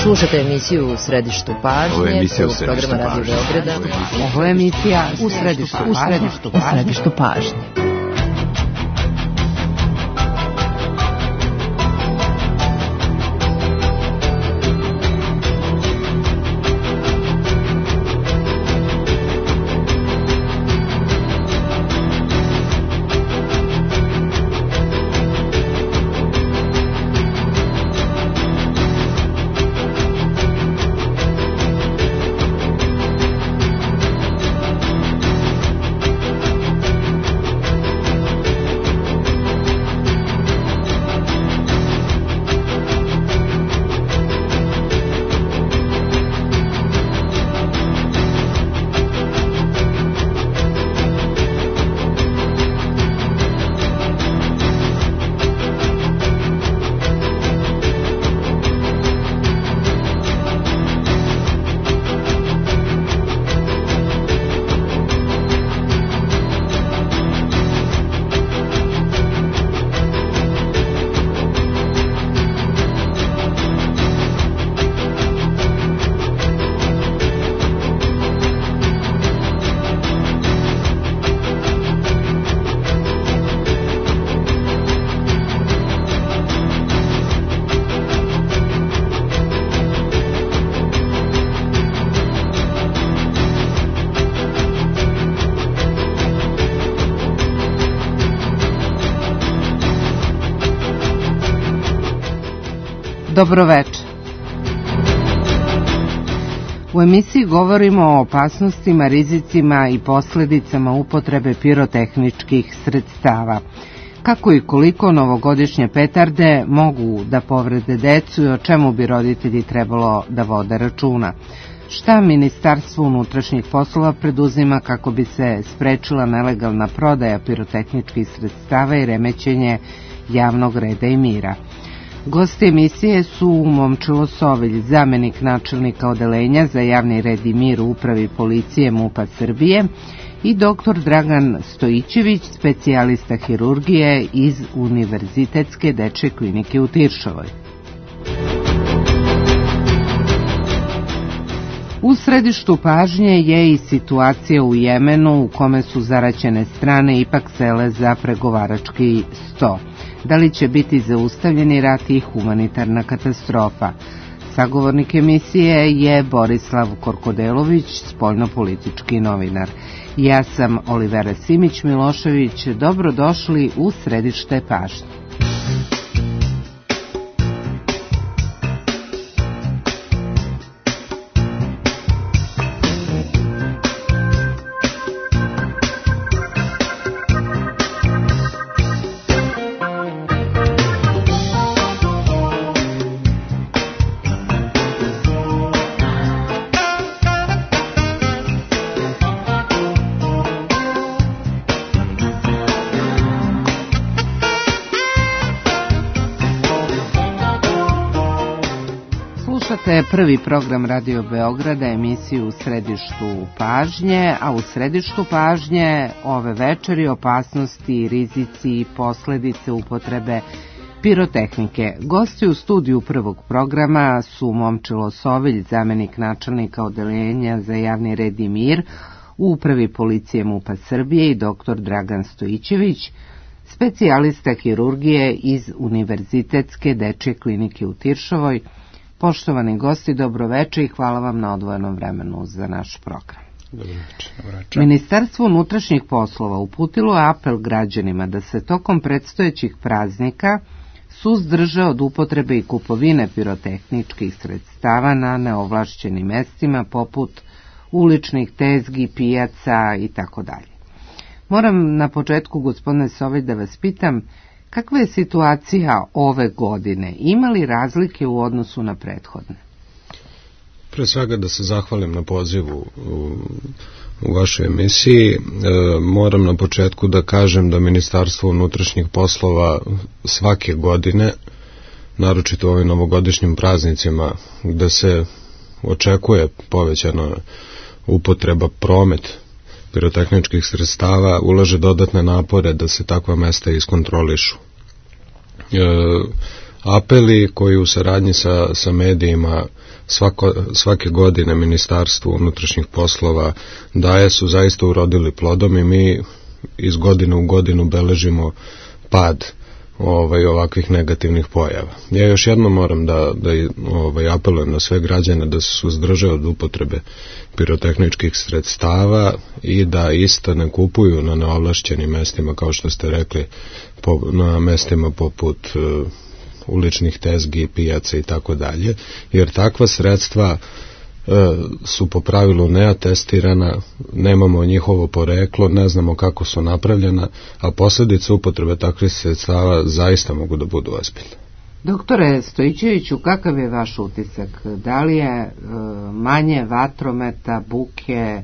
Slušate emisiju U središtu pažnje, programa Radio Beograda. Ovo je emisija U središtu pažnje. Dobroveče. U emisiji govorimo o opasnostima, rizicima i posledicama upotrebe pirotehničkih sredstava. Kako i koliko novogodišnje petarde mogu da povrede decu i o čemu bi roditelji trebalo da vode računa. Šta Ministarstvo unutrašnjih poslova preduzima kako bi se sprečila nelegalna prodaja pirotehničkih sredstava i remećenje javnog reda i mira. Gosti emisije su Momčilo Sovilj, zamenik načelnika odeljenja za javni red i mir u upravi policije MUP-a Srbije, i dr. Dragan Stojićević, specijalista hirurgije iz Univerzitetske dečje klinike u Tiršovoj. U središtu pažnje je i situacija u Jemenu, u kome su zaraćene strane ipak sele za pregovarački sto. Da li će biti zaustavljeni rat i humanitarna katastrofa? Sagovornik emisije je Borislav Korkodelović, spoljnopolitički novinar. Ja sam Olivera Simić-Milošević. Dobrodošli u središte pažnje. Slušate prvi program Radio Beograda, emisiju U središtu pažnje, a u središtu pažnje ove večeri opasnosti, rizici i posledice upotrebe pirotehnike. Gosti u studiju prvog programa su Momčilo Sovilj, zamenik načelnika odeljenja za javni red i mir u upravi policije MUP-a Srbije, i dr. Dragan Stojićević, specijalista hirurgije iz Univerzitetske dečje klinike u Tiršovoj. Poštovani gosti, dobroveče i hvala vam na odvojenom vremenu za naš program. Dobroveče. Ministarstvo unutrašnjih poslova uputilo je apel građanima da se tokom predstojećih praznika suzdrže od upotrebe i kupovine pirotehničkih sredstava na neovlašćenim mestima poput uličnih tezgi, pijaca itd. Moram na početku, gospodine Sovilj, da vas pitam, kakva je situacija ove godine? Ima li razlike u odnosu na prethodne? Pre svega da se zahvalim na pozivu u vašoj emisiji. Moram na početku da kažem da Ministarstvo unutrašnjih poslova svake godine, naročito u ovim novogodišnjim praznicima, gde se očekuje povećana upotreba, promet pirotehničkih sredstava, ulaže dodatne napore da se takva mesta iskontrolišu. apeli koji u saradnji sa medijima svake godine Ministarstvo unutrašnjih poslova daje su zaista urodili plodom i mi iz godine u godinu beležimo pad ovakvih negativnih pojava. Ja još jednom moram da apelujem na sve građane da se suzdrže od upotrebe pirotehničkih sredstava i da ista ne kupuju na neovlašćenim mestima, kao što ste rekli, na mestima poput uličnih tezgi, pijaca i tako dalje, jer takva sredstva su po pravilu neatestirana, nemamo njihovo poreklo, ne znamo kako su napravljena, a posljedice upotrebe takvih sredstava zaista mogu da budu ozbiljne. Doktore Stojićeviću, kakav je vaš utisak? Da li je manje vatrometa, buke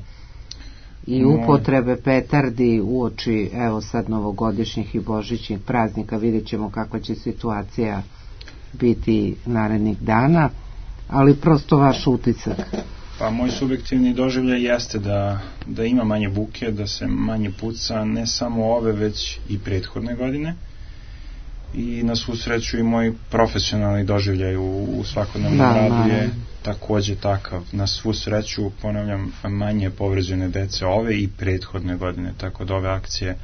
i upotrebe petardi uoči, evo sad, novogodišnjih i božićnih praznika? Vidjet ćemo kakva će situacija biti narednih dana, ali prosto vaš utisak. Pa moj subjektivni doživljaj jeste da ima manje buke, da se manje puca, ne samo ove, već i prethodne godine. I na svu sreću i moj profesionalni doživljaj u svakodnevnom radu je takođe takav. Na svu sreću, ponavljam, manje povređene dece ove i prethodne godine, tako da ove akcije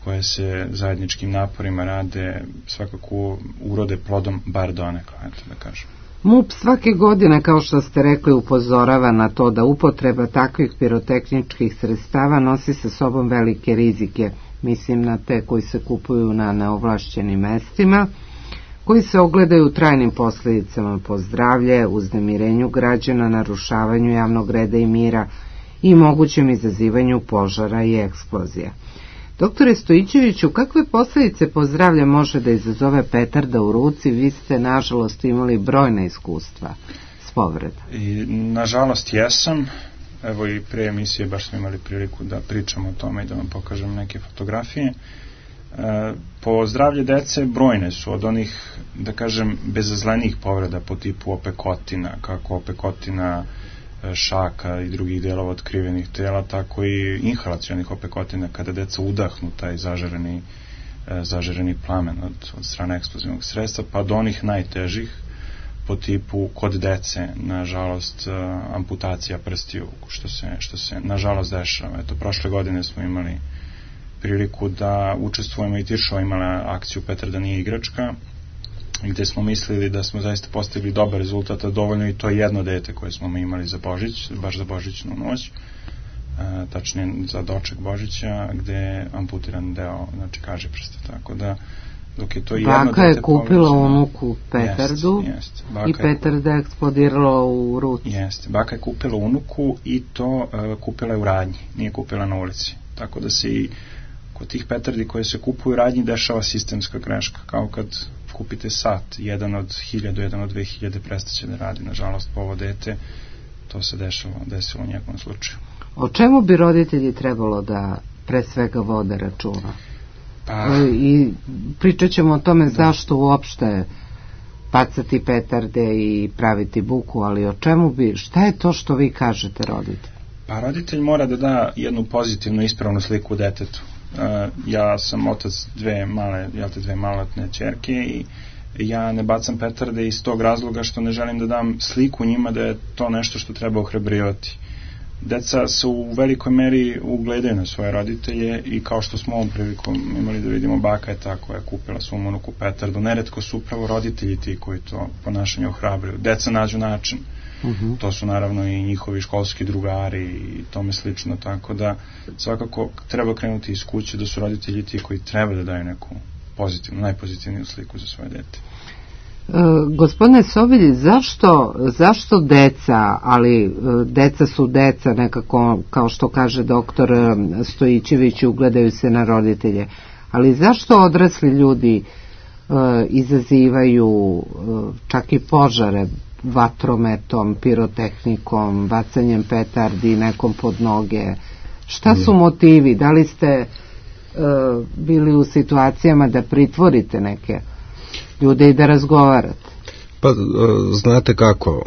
koje se zajedničkim naporima rade svakako urode plodom, bar donekle, eto da kažem. MUP svake godine, kao što ste rekli, upozorava na to da upotreba takvih pirotehničkih sredstava nosi sa sobom velike rizike. Mislim na te koji se kupuju na neovlašćenim mestima, koji se ogledaju u trajnim posljedicama po zdravlje, uznemirenju građana, narušavanju javnog reda i mira i mogućem izazivanju požara i eksplozija. Doktore Stojićeviću, kakve posljedice po zdravlje može da izazove petarda u ruci? Vi ste, nažalost, imali brojna iskustva s povredom. Nažalost, jesam. Evo i pre emisije baš smo imali priliku da pričamo o tome i da vam pokažem neke fotografije. Po zdravlje dece brojne su, od onih, da kažem, bezazlenih povreda po tipu opekotina, kako opekotina šaka i drugih delova otkrivenih tela, tako i inhalacionih opekotina, kada deca udahnu taj zažareni plamen od strane eksplozivnog sredstva, pa do onih najtežih po tipu kod dece, nažalost, amputacija prstiju, što se nažalost dešava. Eto, prošle godine smo imali priliku da učestvujemo i Tiršova imala akciju Petarda nije igračka, gde smo mislili da smo zaista postigli dobar rezultat, a dovoljno i to jedno dete koje smo imali za Božić, baš za Božićnu noć, tačnije za doček Božića, gde je amputiran deo, znači kaže prsta, tako da dok je to jedno dete... Baka je kupila unuku petardu i petarda je eksplodirala u ruci. Jeste, baka je kupila unuku i to kupila je u radnji, nije kupila na ulici, tako da se i kod tih petardi koje se kupuju u radnji dešava sistemska greška, kao kad kupite sat, jedan od 1000, jedan od 2000 prestaće da radi. Nažalost, po ovo dete to se desilo u njegovom slučaju. O čemu bi roditelji trebalo da pre svega vode računa? I pričat ćemo o tome zašto uopšte bacati petarde i praviti buku, ali o čemu bi, šta je to što vi kažete roditelj? Pa roditelj mora da da jednu pozitivnu, ispravnu sliku detetu. Ja sam otac dve maloletne ćerke i ja ne bacam petarde iz tog razloga što ne želim da dam sliku njima da je to nešto što treba ohrabrivati. Deca se u velikoj meri ugledaju na svoje roditelje i kao što smo ovom prilikom imali da vidimo, baka je ta koja je kupila svom unuku petardu. Neretko su upravo roditelji ti koji to ponašanje ohrabruju. Deca nađu način. To su naravno i njihovi školski drugari i tome slično, tako da svakako treba krenuti iz kuće, da su roditelji ti koji treba da daju neku pozitivnu, najpozitivniju sliku za svoje dete. Gospodine Sobilj, zašto deca, ali deca su deca nekako, kao što kaže doktor Stojićević, ugledaju se na roditelje, ali zašto odrasli ljudi izazivaju čak i požare vatrometom, pirotehnikom, bacanjem petardi nekom pod noge? Šta su motivi? Da li ste bili u situacijama da pritvorite neke ljude i da razgovarate? Pa, znate kako,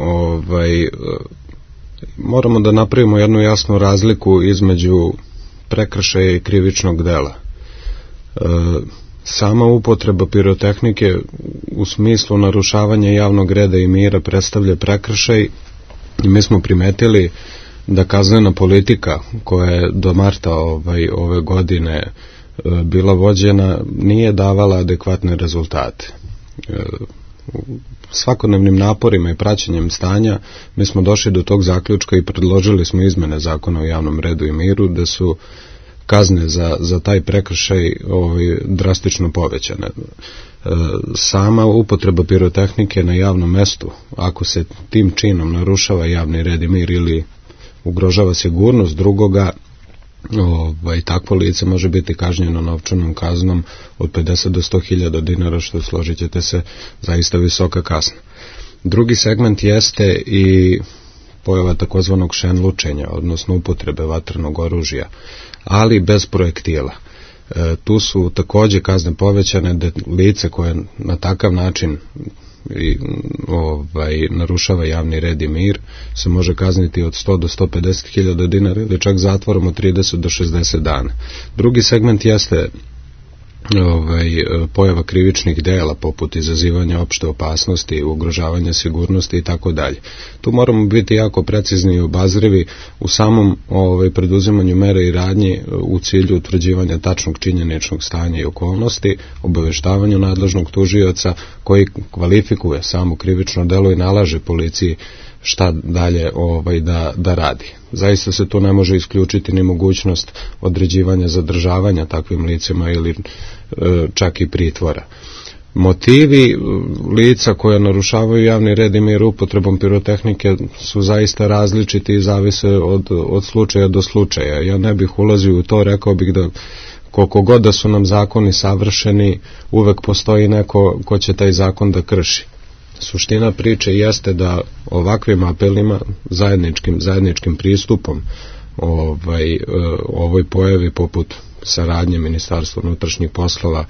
moramo da napravimo jednu jasnu razliku između prekršaja i krivičnog dela. Sama upotreba pirotehnike u smislu narušavanja javnog reda i mira predstavlja prekršaj i mi smo primetili da kaznena politika koja je do marta ove godine bila vođena nije davala adekvatne rezultate. Svakodnevnim naporima i praćenjem stanja mi smo došli do tog zaključka i predložili smo izmene zakona o javnom redu i miru da su kazne za taj prekršaj drastično povećane. Sama upotreba pirotehnike na javnom mestu, ako se tim činom narušava javni red i mir ili ugrožava sigurnost drugoga, takvo lice može biti kažnjeno novčanom kaznom od 50 do 100.000 dinara, što, složit ćete se, zaista visoka kazna. Drugi segment jeste i pojava takozvanog šenlučenja, odnosno upotrebe vatrenog oružja, ali bez projektila. Tu su takođe kazne povećane, da lice koje na takav način narušava javni red i mir se može kazniti od 100 do 150.000 dinara ili čak zatvorom od 30 do 60 dana. Drugi segment jeste pojava krivičnih dela poput izazivanja opšte opasnosti, ugrožavanja sigurnosti i tako dalje. Tu moramo biti jako precizni i obazrivi u samom preduzimanju mera i radnji u cilju utvrđivanja tačnog činjeničnog stanja i okolnosti, obaveštavanju nadležnog tužioca koji kvalifikuje samo krivično delo i nalaže policiji šta dalje da radi. Zaista se tu ne može isključiti ni mogućnost određivanja zadržavanja takvim licima ili čak i pritvora. Motivi lica koja narušavaju javni red i mir upotrebom pirotehnike su zaista različiti i zavise od slučaja do slučaja. Ja ne bih ulazio u to, rekao bih da koliko god da su nam zakoni savršeni, uvek postoji neko ko će taj zakon da krši. Suština priče jeste da ovakvim apelima, zajedničkim pristupom ovoj pojavi poput saradnje Ministarstva unutrašnjih poslova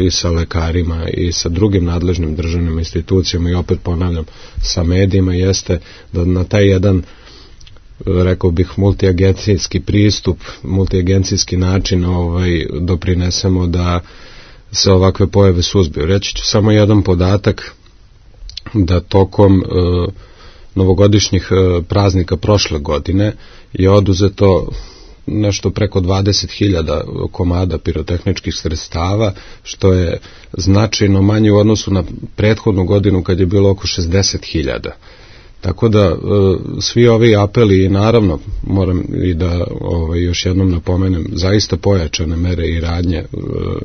i sa lekarima i sa drugim nadležnim državnim institucijama i opet ponavljam sa medijima, jeste da na taj jedan, rekao bih, multiagencijski pristup, multiagencijski način doprinesemo da se ovakve pojave suzbiju. Reći ću samo jedan podatak, da tokom novogodišnjih praznika prošle godine je oduzeto nešto preko 20.000 komada pirotehničkih sredstava, što je značajno manje u odnosu na prethodnu godinu kad je bilo oko 60.000. Tako da svi ovi apeli, i naravno moram i da još jednom napomenem, zaista pojačane mere i radnje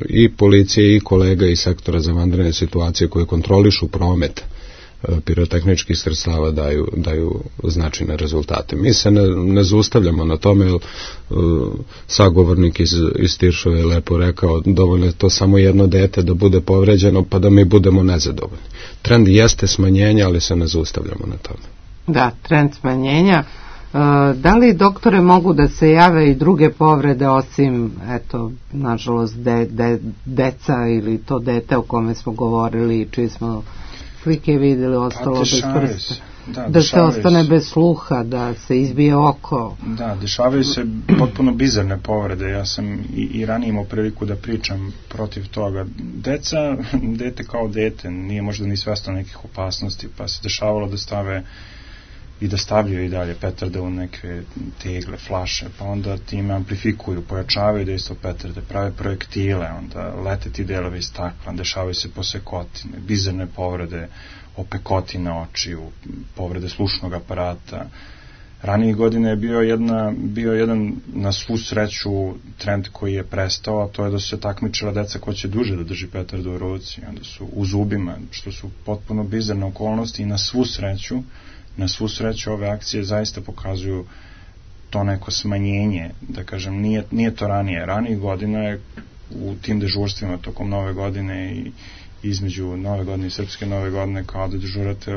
i policije i kolega iz sektora za vanredne situacije koje kontrolišu promet pirotehničkih sredstava daju značajne rezultate. Mi se ne zaustavljamo na tome, jer sagovornik iz Tiršove je lepo rekao, dovoljno je to samo jedno dete da bude povređeno pa da mi budemo nezadovoljni. Trend jeste smanjenja, ali se ne zaustavljamo na tome. Da, trend smanjenja. Da li, doktore, mogu da se jave i druge povrede osim, eto, nažalost, deca ili to dete o kome smo govorili, čiji smo slike vidjeli, ostalo bez prsta? Da se ostane bez sluha, da se izbije oko. Da, dešavaju se potpuno bizarne povrede. Ja sam i ranije imao priliku da pričam protiv toga. Dete kao dete, nije možda ni svesno nekih opasnosti, pa se dešavalo da stave i da stavljaju i dalje petarde u neke tegle, flaše, pa onda time amplifikuju, pojačavaju dejstvo petarde, prave projektile, onda lete ti delovi iz stakla, dešavaju se posekotine, bizarne povrede, opekotine očiju, povrede slušnog aparata. Ranijih godina je bio jedan na svu sreću trend koji je prestao, a to je da su se takmičila deca ko će duže da drži petardu u ruci, onda su u zubima, što su potpuno bizarne okolnosti, i na svu sreću ove akcije zaista pokazuju to neko smanjenje, da kažem, nije to ranije. Ranijih godina je u tim dežurstvima tokom Nove godine i između Nove godine i Srpske Nove godine, kao da dežurate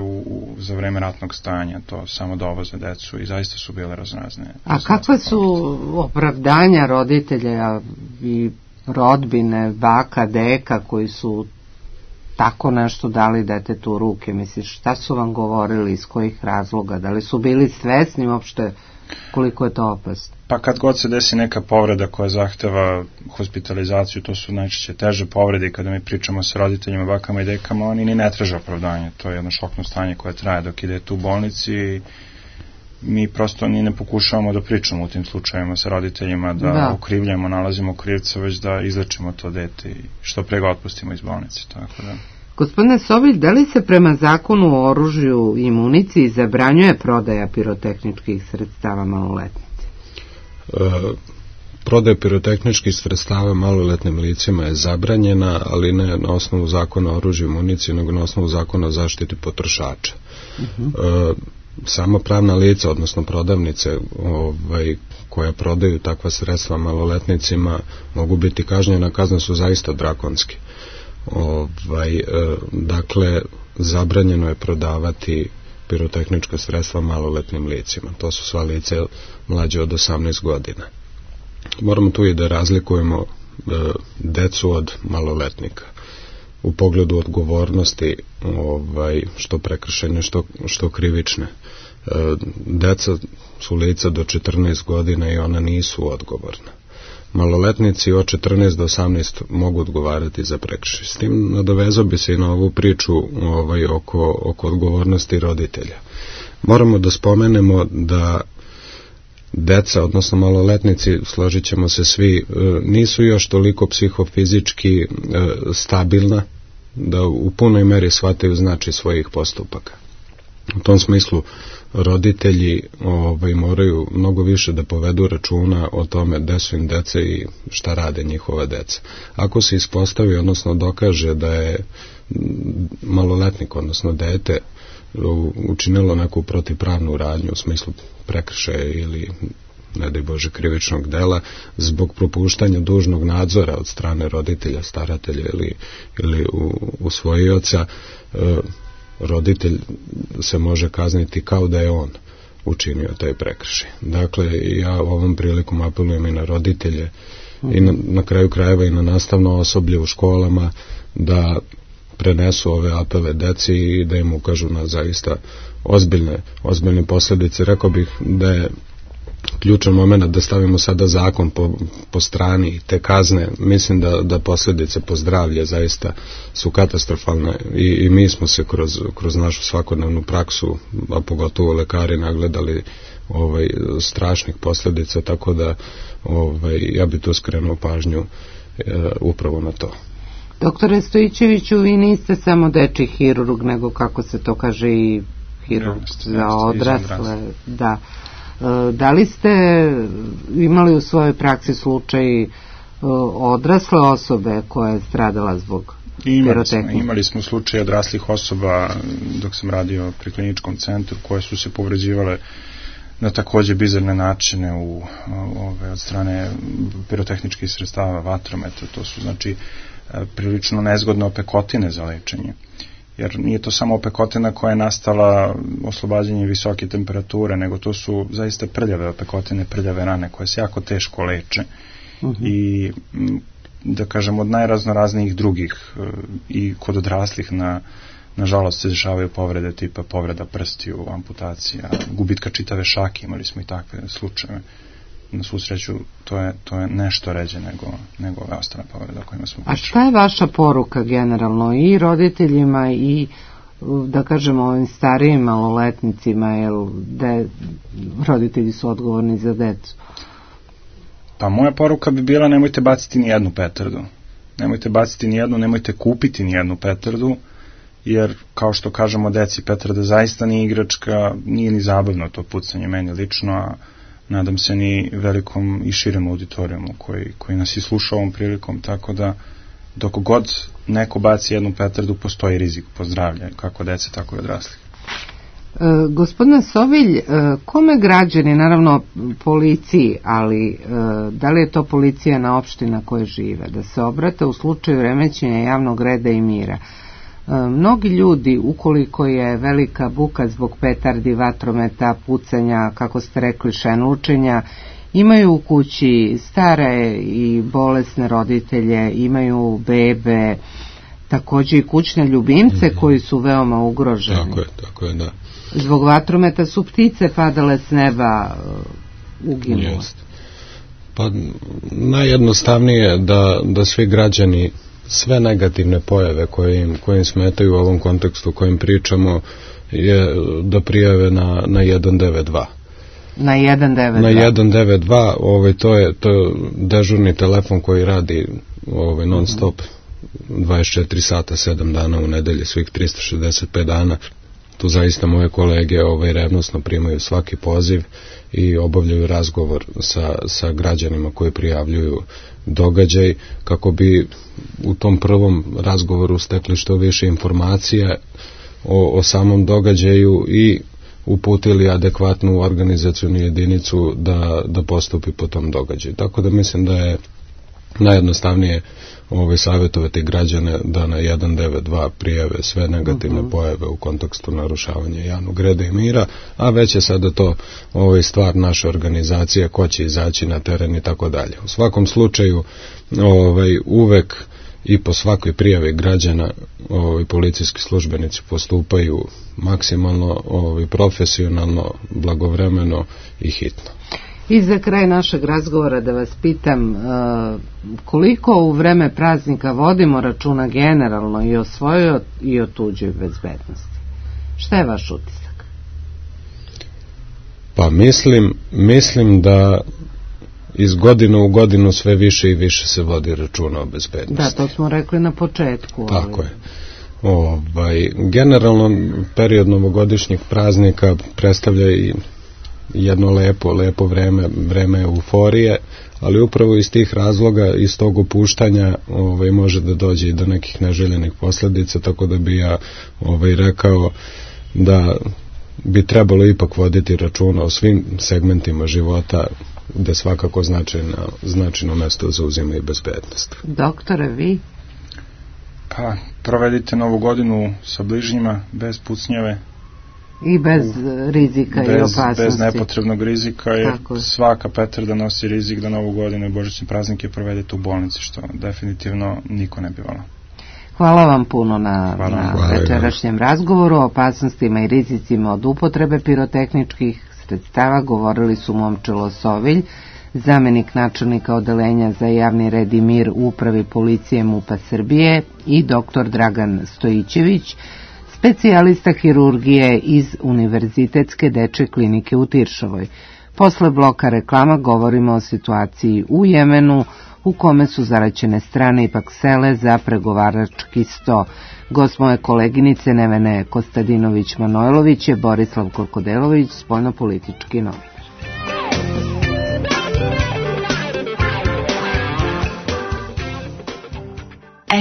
za vreme ratnog stanja, to samo dovoze decu, i zaista su bile raznorazne. A kakve su opravdanja roditelja i rodbine, baka, deka, koji su tako nešto dali detetu u ruke? Misliš, šta su vam govorili, iz kojih razloga? Da li su bili svesni uopšte koliko je to opasno? Pa kad god se desi neka povreda koja zahteva hospitalizaciju, to su najčešće teže povrede i kada mi pričamo sa roditeljima, bakama i dekama, oni ni ne traže opravdanje. To je jedno šokno stanje koje traje dok ide tu u bolnici i mi prosto ni ne pokušavamo da pričamo u tim slučajevima sa roditeljima, da okrivljamo, nalazimo krivca, već da izlečimo to dete i što pre ga otpustimo iz bolnice. Tako da. Gospodine Sovilj, da li se prema zakonu o oružju i municiji zabranjuje prodaja pirotehničkih sredstava maloletnici? Prodaja pirotehničkih sredstava maloletnim licima je zabranjena, ali ne na osnovu zakona o oružju i municiji, nego na osnovu zakona o zaštiti potrošača. Sama pravna lica, odnosno prodavnice koja prodaju takva sredstva maloletnicima mogu biti kažnjena, kazne su zaista drakonske. Dakle, zabranjeno je prodavati pirotehnička sredstva maloletnim licima. To su sva lice mlađe od 18 godina. Moramo tu i da razlikujemo decu od maloletnika u pogledu odgovornosti, što prekršajne, što krivične. Deca su lica do 14 godina i ona nisu odgovorna. Maloletnici od 14 do 18 mogu odgovarati za prekršaj. S tim nadovezao bi se i na ovu priču oko odgovornosti roditelja. Moramo da spomenemo da deca, odnosno maloletnici, složit ćemo se svi, nisu još toliko psihofizički stabilna da u punoj meri shvataju značaj svojih postupaka. U tom smislu roditelji moraju mnogo više da povedu računa o tome gde su im deca i šta rade njihova deca. Ako se ispostavi, odnosno dokaže da je maloletnik, odnosno dete, učinilo neku protivpravnu radnju u smislu prekršaja ili, ne daj Bože, krivičnog dela, zbog propuštanja dužnog nadzora od strane roditelja, staratelja ili usvojioca, roditelj se može kazniti kao da je on učinio taj prekršaj. Dakle, ja ovom prilikom apelujem i na roditelje i na kraju krajeva i na nastavno osoblje u školama da prenesu ove apele deci i da im ukažu na zaista ozbiljne posljedice. Rekao bih da je ključan moment da stavimo sada zakon po strani i te kazne. Mislim da posljedice po zdravlje zaista su katastrofalne i mi smo se kroz našu svakodnevnu praksu, a pogotovo lekari, nagledali strašnih posljedica, tako da ja bi tu skrenuo pažnju upravo na to. Doktore Stojićeviću, vi niste samo dečji hirurg, nego, kako se to kaže, i hirurg za odrasle. Da. Da li ste imali u svojoj praksi slučaj odrasle osobe koja je stradala zbog pirotehnike? Imali smo slučaj odraslih osoba dok sam radio pri kliničkom centru koje su se povređivale na takođe bizarne načine od strane pirotehničkih sredstava, vatrometa. To su znači prilično nezgodne opekotine za lečenje. Jer nije to samo opekotina koja je nastala oslobađanjem visoke temperature, nego to su zaista prljave opekotine, prljave rane koje se jako teško leče i da kažem od najraznoraznijih drugih i kod odraslih nažalost se dešavaju povrede tipa povreda prstiju, amputacija, gubitka čitave šake, imali smo i takve slučajeve. Na svu sreću to je nešto ređe nego ove ostale povrede o kojima smo pričali. A šta je vaša poruka generalno i roditeljima i, da kažemo, ovim starijim maloletnicima, jer roditelji su odgovorni za decu? Pa moja poruka bi bila: nemojte baciti ni jednu petardu. Nemojte baciti ni jednu, nemojte kupiti ni jednu petardu, jer kao što kažemo deci, petarda zaista nije igračka, nije ni zabavno to pucanje meni lično, a nadam se ni velikom i širem auditorijumu koji nas i sluša ovom prilikom, tako da dok god neko baci jednu petardu postoji rizik po zdravlje, kako dece, tako i odraslih. Gospodine Sovilj, kome građani, naravno policiji, ali da li je to policija na opština koje žive, da se obrate u slučaju remećenja javnog reda i mira? Mnogi ljudi, ukoliko je velika buka zbog petardi, vatrometa, pucanja, kako ste rekli, šenlučenja, imaju u kući stare i bolesne roditelje, imaju bebe, takođe i kućne ljubimce koji su veoma ugroženi. Tako je, da. Zbog vatrometa su ptice padale s neba, uginule. Pa najjednostavnije da svi građani sve negativne pojave koje im smetaju u ovom kontekstu kojim pričamo je da prijave na 192. Na 192. Na 192, to je dežurni telefon koji radi non stop 24 sata, 7 dana u nedelji, svih 365 dana. Tu zaista moje kolege revnosno primaju svaki poziv i obavljaju razgovor sa građanima koji prijavljuju događaj, kako bi u tom prvom razgovoru stekli što više informacija o samom događaju i uputili adekvatnu organizacionu jedinicu da postupi po tom događaju. Tako da mislim da je najjednostavnije savjetovati građane da na 192 prijave sve negativne pojave u kontekstu narušavanja javnog reda i mira, a već je sada to stvar naše organizacije, ko će izaći na teren i tako dalje. U svakom slučaju uvek i po svakoj prijavi građana policijski službenici postupaju maksimalno profesionalno, blagovremeno i hitno. I za kraj našeg razgovora da vas pitam, koliko u vreme praznika vodimo računa generalno i o svojoj i o tuđoj bezbednosti? Šta je vaš utisak? Pa mislim da iz godine u godinu sve više i više se vodi računa o bezbednosti. Da, to smo rekli na početku. Tako je. Generalno period novogodišnjih praznika predstavlja i jedno lepo vreme euforije, ali upravo iz tih razloga, iz tog opuštanja može da dođe i do nekih neželjenih posljedica, tako da bi ja rekao da bi trebalo ipak voditi računa o svim segmentima života, gde svakako značajno mesto zauzima i bezbednost. Doktore, vi? Pa, provedite novu godinu sa bližnjima, bez pucnjave. I bez rizika i opasnosti. Bez nepotrebnog rizika, jer svaka petarda nosi rizik da novu godinu i božićne praznike provedete u bolnici, što definitivno niko ne bi volao. Hvala vam puno na večerašnjem razgovoru o opasnostima i rizicima od upotrebe pirotehničkih sredstava. Govorili su Momčilo Sovilj, zamenik načelnika odeljenja za javni red i mir u upravi policije MUP-a Srbije, i dr. Dragan Stojićević, specijalista hirurgije iz Univerzitetske dečje klinike u Tiršovoj. Posle bloka reklama govorimo o situaciji u Jemenu, u kome su zaraćene strane ipak sele za pregovarački sto. Gost moje koleginice Nevene Kostadinović-Manojlović je Borislav Korkodelović, spoljnopolitički novinar.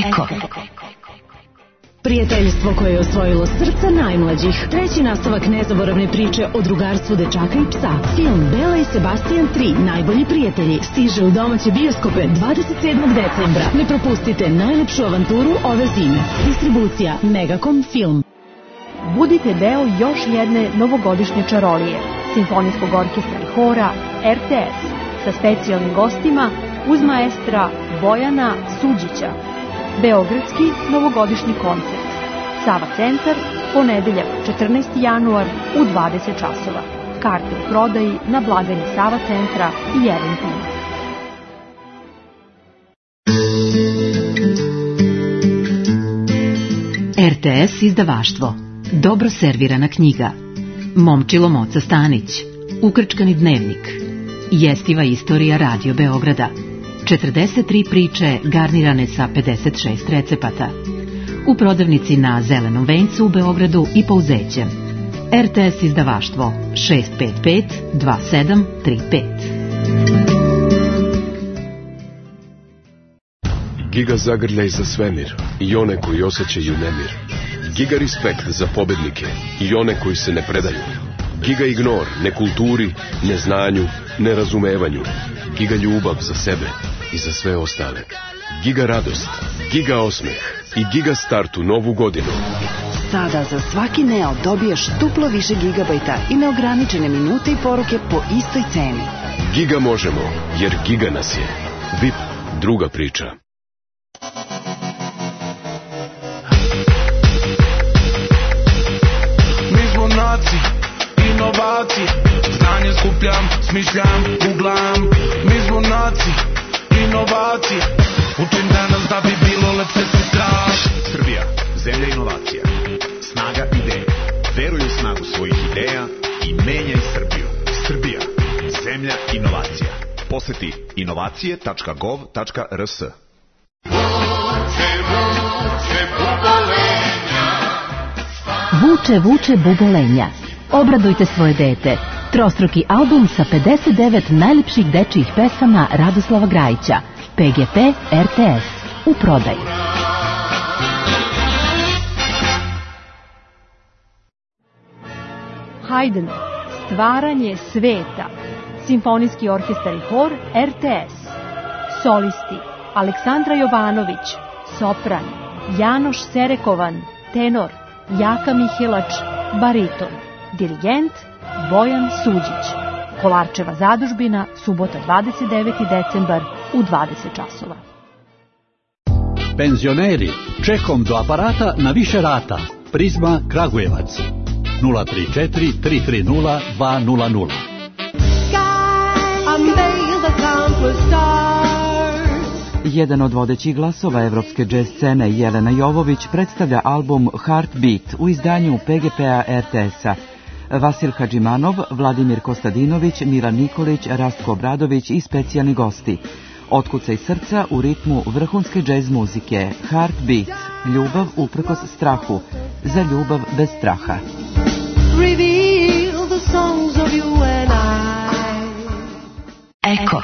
Eko. Prijateljstvo koje je osvojilo srca najmlađih. Treći nastavak nezaboravne priče o drugarstvu dečaka i psa. Film Bela i Sebastian 3, najbolji prijatelji, stiže u domaće bioskope 27. decembra. Ne propustite najlepšu avanturu ove zime. Distribucija Megacom Film. Budite deo još jedne novogodišnje čarolije. Simfonijskog orkestra i hora RTS sa specijalnim gostima uz maestra Bojana Suđića. Beogradski novogodišnji koncert. Sava centar, ponedeljak 14. januar u 20 časova. Karte u prodaji na blagajni Sava centra i Eventima. RTS izdavaštvo. Dobro servirana knjiga. Momčilo Moca Stanić. Ukrčkani dnevnik. Jestiva istorija Radio Beograda. 43 priče garnirane sa 56 recepata. U prodavnici na Zelenom vencu u Beogradu i Pouzećem. RTS izdavaštvo 655 2735. Giga zagrljaj za svemir i one koji osjećaju nemir. Giga respekt za pobednike i one koji se ne predaju. Giga ignor nekulturi, neznanju, nerazumevanju. Giga ljubav za sebe i za sve ostale. Giga radost, giga osmeh i giga start u novu godinu. Sada za svaki Neo dobiješ duplo više gigabajta i neograničene minute i poruke po istoj ceni. Giga možemo, jer giga nas je. VIP, druga priča. Mi smo naci, inovaci, znanje skupljam, smišljam, googlam. Mi smo naci. junaci, inovacije. Učim danas da bi bilo lepše sutra. Srbija, zemlja inovacija. Snaga ideje. Veruj u snagu svojih ideja i menjaj Srbiju. Srbija, zemlja inovacija. Poseti inovacije.gov.rs. Vuče, vuče bubolenja. Obradujte svoje dete. Trostruki album sa 59 najlepših dečijih pesama Radoslava Grajića. PGP RTS. U prodaji. Haydn. Stvaranje sveta. Simfonijski orkestar i hor RTS. Solisti. Aleksandra Jovanović. Sopran. Janoš Serekovan. Tenor. Jaka Mihelač. Bariton. Dirigent Bojan Suđić. Kolarčeva zadužbina, subota 29. decembar u 20 časova. Penzioneri, čekom do aparata na više rata. Prizma Kragujevac. 034 330 200. Jedan od vodećih glasova evropske džez scene, Jelena Jovović, predstavlja album Heartbeat u izdanju PGP-a RTS-a. Vasil Hadžimanov, Vladimir Kostadinović, Milan Nikolić, Rastko Obradović i specijalni gosti. Otkucaj srca u ritmu vrhunske džez muzike. Heartbeat, ljubav uprkos strahu, za ljubav bez straha. Eko.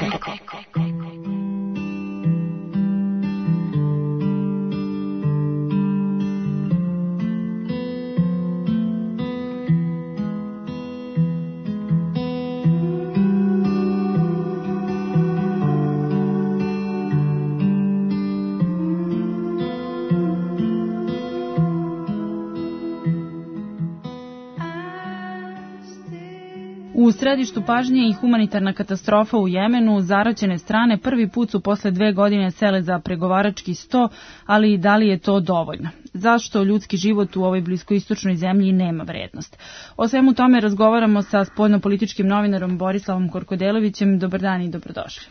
U središtu pažnje i humanitarna katastrofa u Jemenu. Zaraćene strane prvi put su posle 2 godine sele za pregovarački sto, ali da li je to dovoljno? Zašto ljudski život u ovoj bliskoistočnoj zemlji nema vrednost? O svemu tome razgovaramo sa spoljnopolitičkim novinarom Borislavom Korkodelovićem. Dobar dan i dobrodošli.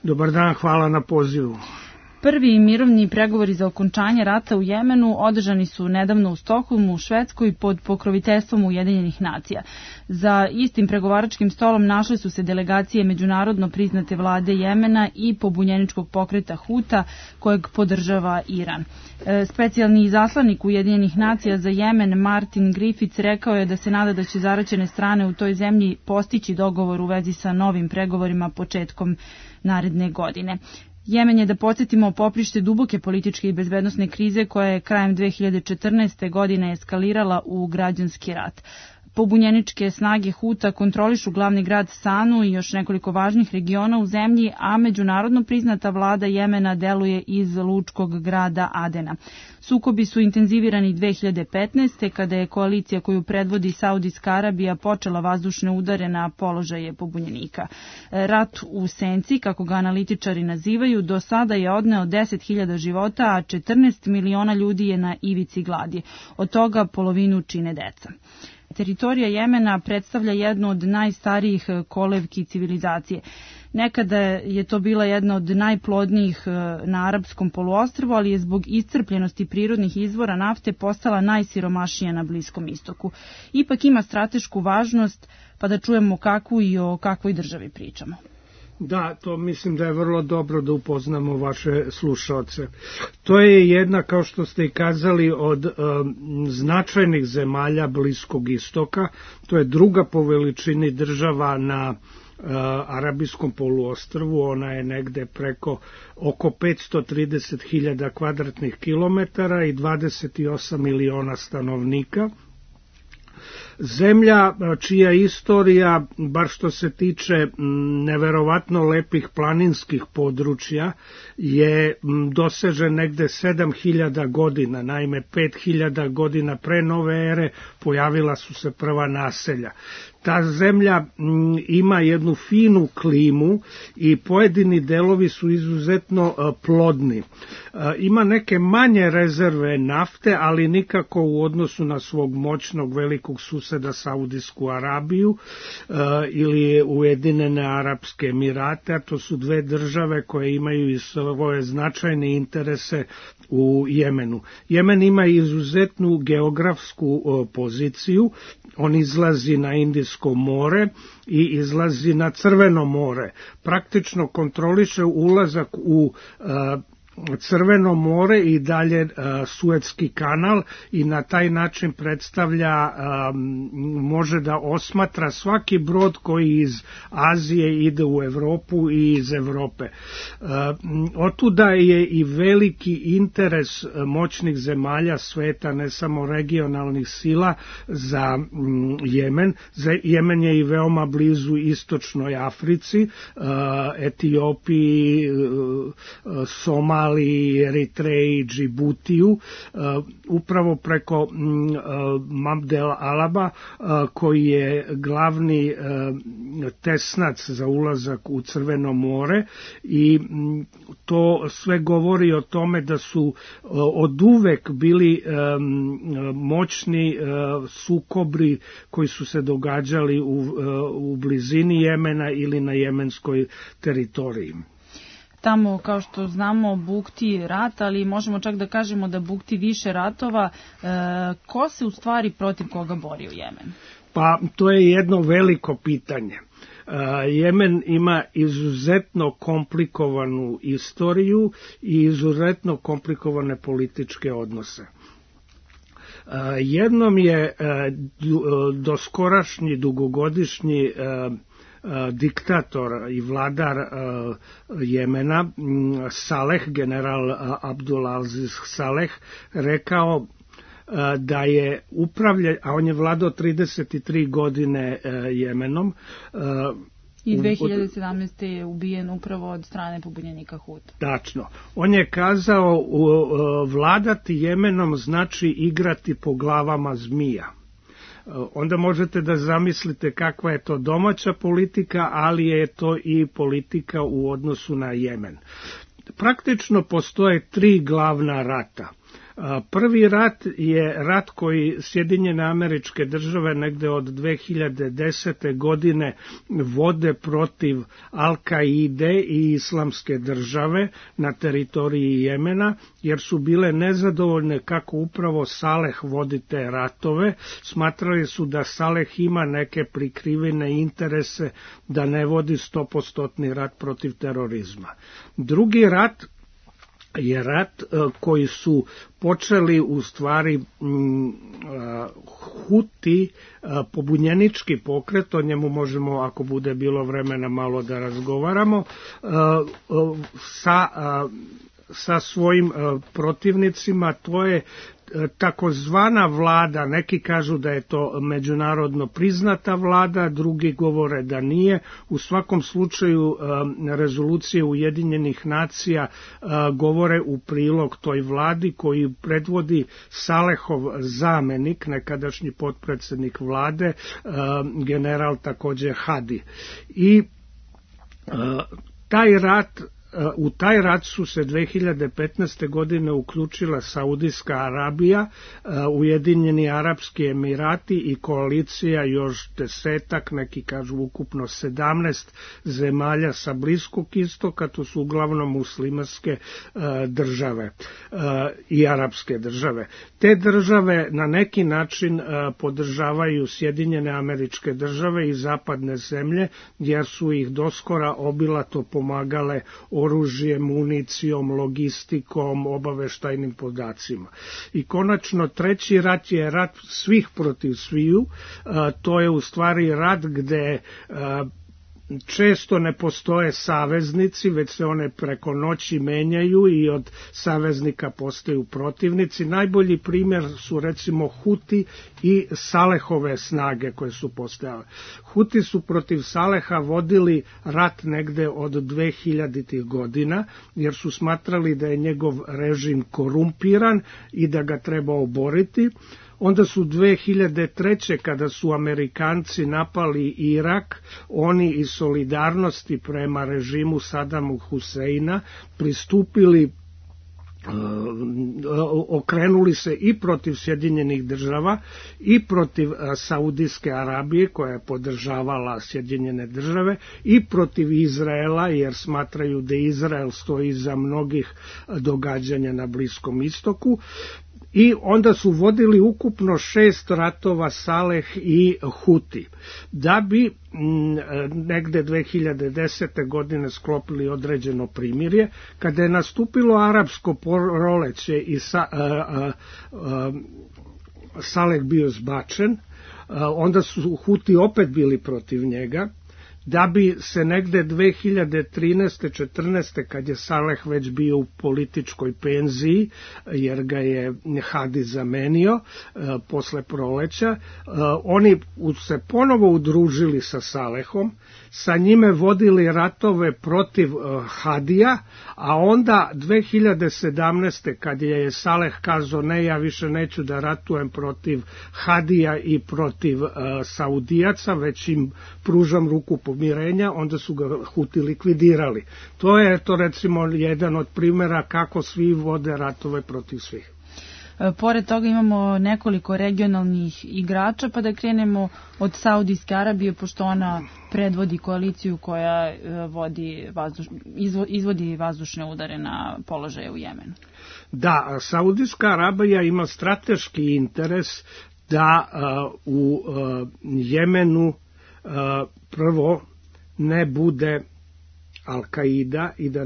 Dobar dan, hvala na pozivu. Prvi mirovni pregovori za okončanje rata u Jemenu održani su nedavno u Stokholmu, u Švedskoj, pod pokroviteljstvom Ujedinjenih nacija. Za istim pregovaračkim stolom našle su se delegacije međunarodno priznate vlade Jemena i pobunjeničkog pokreta Huta, kojeg podržava Iran. Specijalni izaslanik Ujedinjenih nacija za Jemen, Martin Griffiths, rekao je da se nada da će zaraćene strane u toj zemlji postići dogovor u vezi sa novim pregovorima početkom naredne godine. Jemen je, da podsjetimo, poprište duboke političke i bezbednosne krize koja je krajem 2014. godine eskalirala u građanski rat. Pobunjeničke snage Huta kontrolišu glavni grad Sanu i još nekoliko važnih regiona u zemlji, a međunarodno priznata vlada Jemena deluje iz lučkog grada Adena. Sukobi su intenzivirani 2015. kada je koalicija koju predvodi Saudijska Arabija počela vazdušne udare na položaje pobunjenika. Rat u senci, kako ga analitičari nazivaju, do sada je odneo 10.000 života, a 14 miliona ljudi je na ivici gladi. Od toga polovinu čine deca. Teritorija Jemena predstavlja jednu od najstarijih kolevki civilizacije. Nekada je to bila jedna od najplodnijih na arapskom poluostrvu, ali je zbog iscrpljenosti prirodnih izvora nafte postala najsiromašnija na Bliskom istoku. Ipak ima stratešku važnost, pa da čujemo kakvu i o kakvoj državi pričamo. Da, to mislim da je vrlo dobro da upoznamo vaše slušaoce. To je jedna, kao što ste i kazali, od značajnih zemalja Bliskog istoka. To je druga po veličini država na Arabijskom poluostrvu. Ona je negde preko oko 530.000 kvadratnih kilometara i 28 miliona stanovnika. Zemlja čija istorija, bar što se tiče neverovatno lepih planinskih područja, je doseže negde 7.000 godina. Naime, 5.000 godina pre nove ere pojavila su se prva naselja. Ta zemlja ima jednu finu klimu i pojedini delovi su izuzetno plodni. Ima neke manje rezerve nafte, ali nikako u odnosu na svog moćnog velikog susjeda suseda Saudijsku Arabiju ili Ujedinjene Arapske Emirate, a to su dve države koje imaju i svoje značajne interese u Jemenu. Jemen ima izuzetnu geografsku poziciju, on izlazi na Indijsko more i izlazi na Crveno more. Praktično kontroliše ulazak u Crveno more i dalje Suetski kanal i na taj način predstavlja, može da osmatra svaki brod koji iz Azije ide u Evropu i iz Evrope. Otuda je i veliki interes moćnih zemalja sveta, ne samo regionalnih sila, za Jemen. Jemen je i veoma blizu istočnoj Africi, Etiopiji, Somaliji, Eritreji, Džibutiju, upravo preko Mabdel Alaba, koji je glavni tesnac za ulazak u Crveno more, i to sve govori o tome da su od uvek bili moćni sukobi koji su se događali u blizini Jemena ili na jemenskoj teritoriji. Tamo, kao što znamo, bukti rat, ali možemo čak da kažemo da bukti više ratova. Ko se u stvari protiv koga bori u Jemenu? Pa to je jedno veliko pitanje. Jemen ima izuzetno komplikovanu istoriju i izuzetno komplikovane političke odnose. Jednom je doskorašnji, dugogodišnji diktator i vladar Jemena, Saleh, general Abdulaziz Saleh, rekao da je a on je vladao 33 godine Jemenom. I 2017. je ubijen upravo od strane pobunjenika Huta. Tačno. On je kazao, vladati Jemenom znači igrati po glavama zmija. Onda možete da zamislite kakva je to domaća politika, ali je to i politika u odnosu na Jemen. Praktično postoje tri glavna rata. Prvi rat je rat koji Sjedinjene Američke Države negde od 2010. godine vode protiv Al-Kaide i Islamske države na teritoriji Jemena, jer su bile nezadovoljne kako upravo Saleh vodi te ratove. Smatrali su da Saleh ima neke prikrivene interese, da ne vodi 100% rat protiv terorizma. Drugi rat je rat koji su počeli u stvari Huti, pobunjenički pokret, o njemu možemo, ako bude bilo vremena, malo da razgovaramo, sa svojim protivnicima. To je takozvana vlada, neki kažu da je to međunarodno priznata vlada, drugi govore da nije. U svakom slučaju rezolucije Ujedinjenih nacija govore u prilog toj vladi koju predvodi Salehov zamenik, nekadašnji potpredsjednik vlade, general također Hadi. I u taj rat su se 2015. godine uključila Saudijska Arabija, Ujedinjeni Arapski Emirati i koalicija još 10, neki kažu ukupno 17 zemalja sa Bliskog istoka, to su uglavnom muslimanske države i arapske države. Te države na neki način podržavaju Sjedinjene Američke Države i zapadne zemlje, jer su ih doskora obilato pomagale oružjem, municijom, logistikom, obaveštajnim podacima. I konačno treći rat je rat svih protiv sviju. To je u stvari rat gde često ne postoje saveznici, već se one preko noći menjaju i od saveznika postaju protivnici. Najbolji primjer su recimo Huti i Salehove snage koje su postojale. Huti su protiv Saleha vodili rat negde od 2000. godina, jer su smatrali da je njegov režim korumpiran i da ga treba oboriti. Onda su 2003. kada su Amerikanci napali Irak, oni iz solidarnosti prema režimu Sadamu Huseina pristupili okrenuli se i protiv Sjedinjenih država i protiv Saudijske Arabije koja je podržavala Sjedinjene države i protiv Izraela jer smatraju da Izrael stoji iza mnogih događanja na Bliskom istoku. I onda su vodili ukupno 6 ratova Saleh i Huti, da bi negde 2010. godine sklopili određeno primirje. Kada je nastupilo arapsko proleće i Saleh bio zbačen, onda su Huti opet bili protiv njega, da bi se negde 2013. 14. kad je Saleh već bio u političkoj penziji, jer ga je Hadi zamenio posle proleća, oni se ponovo udružili sa Salehom, sa njime vodili ratove protiv Hadija, a onda 2017. kad je Saleh kazao ne, ja više neću da ratujem protiv Hadija i protiv Saudijaca, već im pružam ruku pomirenja, onda su ga Huti likvidirali. To je recimo jedan od primjera kako svi vode ratove protiv svih. Pored toga imamo nekoliko regionalnih igrača, pa da krenemo od Saudijske Arabije, pošto ona predvodi koaliciju koja izvodi vazdušne udare na položaje u Jemenu. Da, Saudijska Arabija ima strateški interes da u Jemenu prvo ne bude Al-Kaida i da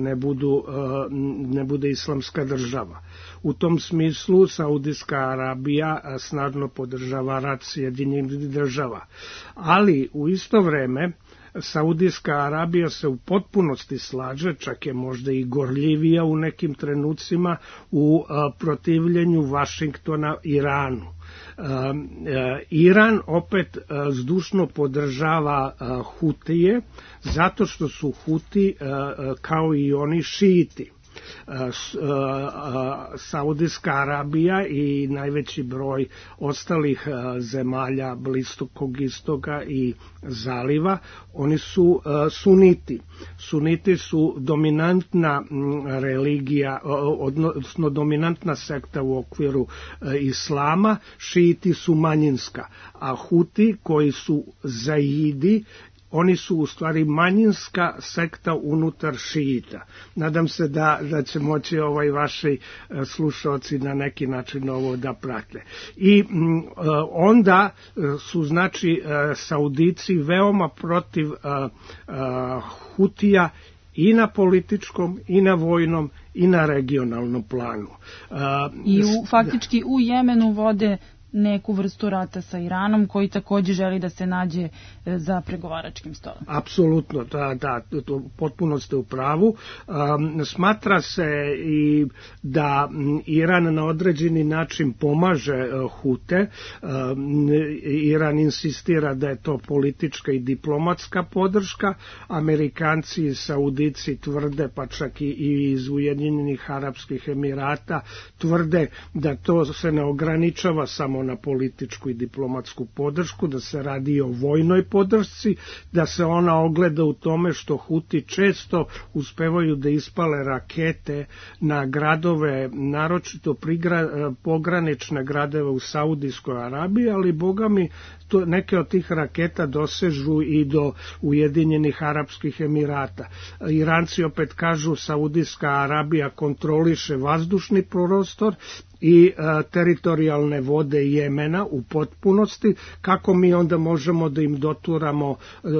ne bude islamska država. U tom smislu Saudijska Arabija snažno podržava rat Sjedinjenih država. Ali u isto vreme Saudijska Arabija se u potpunosti slaže, čak je možda i gorljivija u nekim trenucima u protivljenju Vašingtona Iranu. Iran opet zdušno podržava Hutije zato što su Huti kao i oni šijiti. Saudijska Arabija i najveći broj ostalih zemalja Bliskog istoka i zaliva, oni su suniti. Suniti su dominantna religija, odnosno dominantna sekta u okviru islama, šijiti su manjinska, a Huti koji su zaidi, oni su u stvari manjinska sekta unutar šijita. Nadam se da će moći vaši slušalci na neki način ovo da prate. I onda su znači Saudici veoma protiv Hutija i na političkom, i na vojnom, i na regionalnom planu. I faktički u Jemenu vode neku vrstu rata sa Iranom koji također želi da se nađe za pregovaračkim stolom. Apsolutno, da, potpuno ste u pravu. Smatra se i da Iran na određeni način pomaže Hute. Iran insistira da je to politička i diplomatska podrška. Amerikanci i Saudici tvrde, pa čak i iz Ujedinjenih Arapskih Emirata, tvrde da to se ne ograničava samo na političku i diplomatsku podršku, da se radi o vojnoj podršci, da se ona ogleda u tome što Huti često uspevaju da ispale rakete na gradove, naročito pogranične gradove u Saudijskoj Arabiji, ali bogami neke od tih raketa dosežu i do Ujedinjenih Arapskih Emirata. Iranci opet kažu Saudijska Arabija kontroliše vazdušni prostor i teritorijalne vode Jemena u potpunosti, kako mi onda možemo da im doturamo,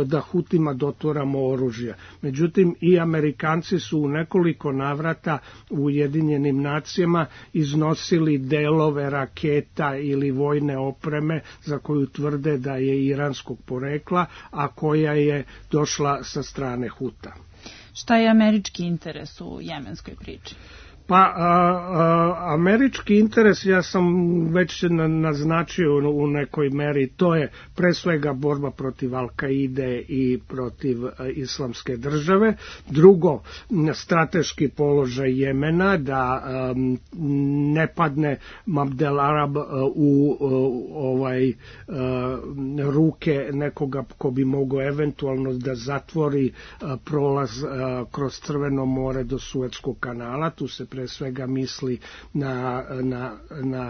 da Hutima doturamo oružja. Međutim, i Amerikanci su u nekoliko navrata u Ujedinjenim nacijama iznosili delove raketa ili vojne opreme za koju tvrde da je iranskog porekla, a koja je došla sa strane Huta. Šta je američki interes u jemenskoj priči? Pa, američki interes, ja sam već naznačio u nekoj meri, to je pre svega borba protiv Al-Kaide i protiv islamske države. Drugo, strateški položaj Jemena, da ne padne Abdel Arab u ruke nekoga ko bi mogao eventualno da zatvori prolaz kroz Crveno more do Suetskog kanala. Tu se pre svega misli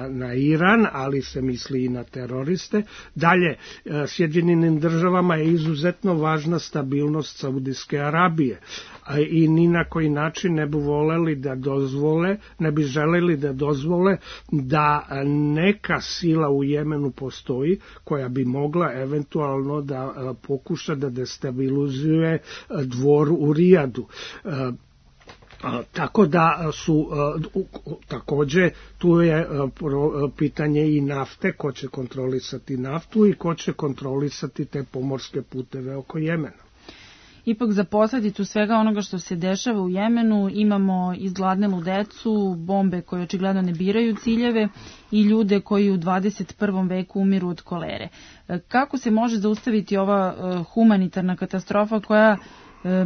na Iran, ali se misli i na teroriste. Dalje, Sjedinjenim državama je izuzetno važna stabilnost Saudijske Arabije i ni na koji način ne bi voleli da dozvole, ne bi želeli da dozvole da neka sila u Jemenu postoji koja bi mogla eventualno da pokuša da destabilizuje dvor u Rijadu. Tako da su takođe tu je pitanje i nafte, ko će kontrolisati naftu i ko će kontrolisati te pomorske puteve oko Jemena. Ipak za posledicu svega onoga što se dešava u Jemenu imamo izgladnelu decu, bombe koje očigledno ne biraju ciljeve i ljude koji u 21. veku umiru od kolere. Kako se može zaustaviti ova humanitarna katastrofa koja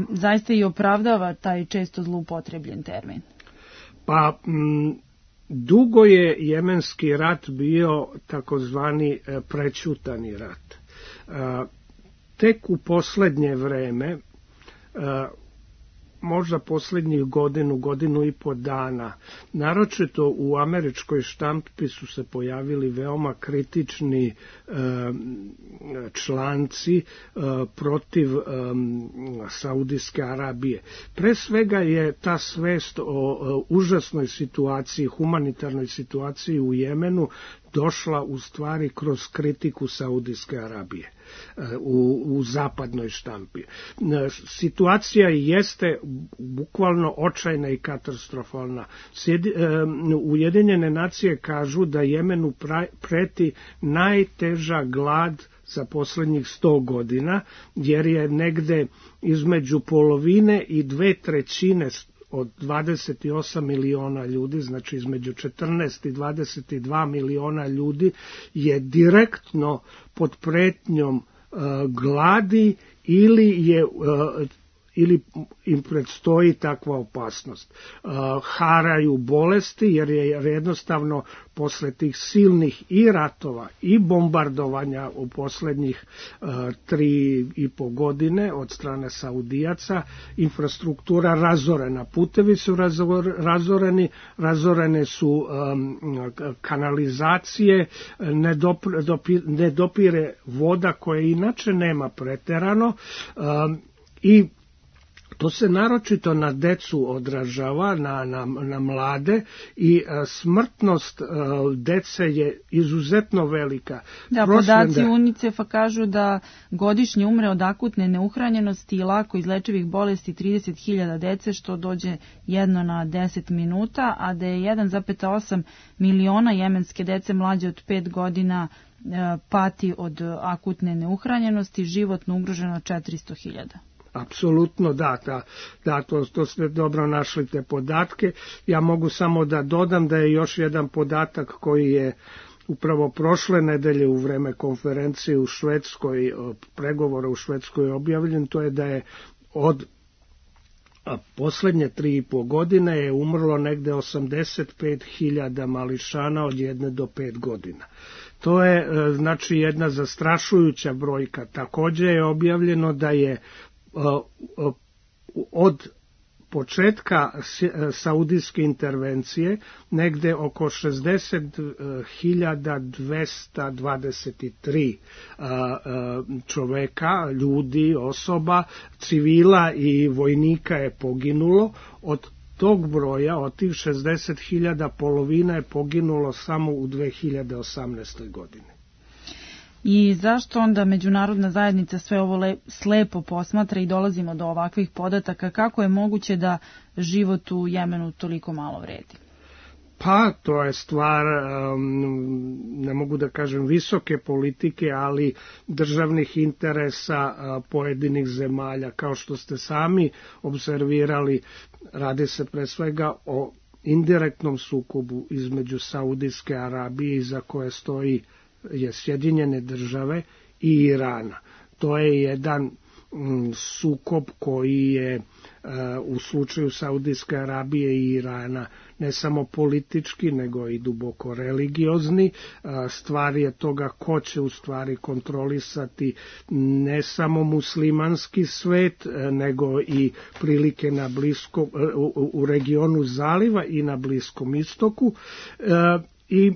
zaista i opravdava taj često zloupotrebljen termin? Pa dugo je jemenski rat bio takozvani prećutani rat. Tek u poslednje vreme, možda poslednjih godinu i po dana, naročito u američkoj štampi su se pojavili veoma kritični članci protiv Saudijske Arabije. Pre svega je ta svest o užasnoj situaciji, humanitarnoj situaciji u Jemenu došla u stvari kroz kritiku Saudijske Arabije u zapadnoj štampi. Situacija jeste bukvalno očajna i katastrofalna. Ujedinjene nacije kažu da Jemenu preti najteža glad za poslednjih 100 godina, jer je negde između polovine i 2/3 od 28 miliona ljudi, znači između 14 i 22 miliona ljudi je direktno pod pretnjom gladi ili im predstoji takva opasnost. Haraju bolesti jer je jednostavno posle tih silnih i ratova i bombardovanja u poslednjih 3,5 godine od strane Saudijaca infrastruktura razorena, putevi su razorene su kanalizacije, ne dopire voda koje inače nema preterano i to se naročito na decu odražava, na mlade i smrtnost dece je izuzetno velika. Da, podaci UNICEF-a kažu da godišnje umre od akutne neuhranjenosti i lako izlečivih bolesti 30.000 dece, što dođe 1 na 10 minuta, a da je 1,8 miliona jemenske dece mlađe od 5 godina pati od akutne neuhranjenosti, životno ugroženo 400.000. Apsolutno da, to ste dobro našli te podatke. Ja mogu samo da dodam da je još jedan podatak koji je upravo prošle nedelje u vreme konferencije u Švedskoj, pregovora u Švedskoj objavljen, to je da je od poslednje 3,5 godine je umrlo negde 85.000 mališana od 1 do 5 godina. To je znači jedna zastrašujuća brojka. Takođe je objavljeno da je od početka saudijske intervencije negde oko 60.223 čoveka, ljudi, osoba, civila i vojnika je poginulo. Od tog broja, od tih 60.000, polovina je poginulo samo u 2018. godini. I zašto onda međunarodna zajednica sve ovo slepo posmatra i dolazimo do ovakvih podataka? Kako je moguće da život u Jemenu toliko malo vredi? Pa, to je stvar, ne mogu da kažem visoke politike, ali državnih interesa pojedinih zemalja. Kao što ste sami observirali, radi se pre svega o indirektnom sukobu između Saudijske Arabije, iza koje stoji Sjedinjene države i Irana. To je jedan sukob koji je u slučaju Saudijske Arabije i Irana ne samo politički nego i duboko religiozni. Stvar je toga ko će u stvari kontrolisati ne samo muslimanski svet nego i prilike na u regionu zaliva i na Bliskom istoku i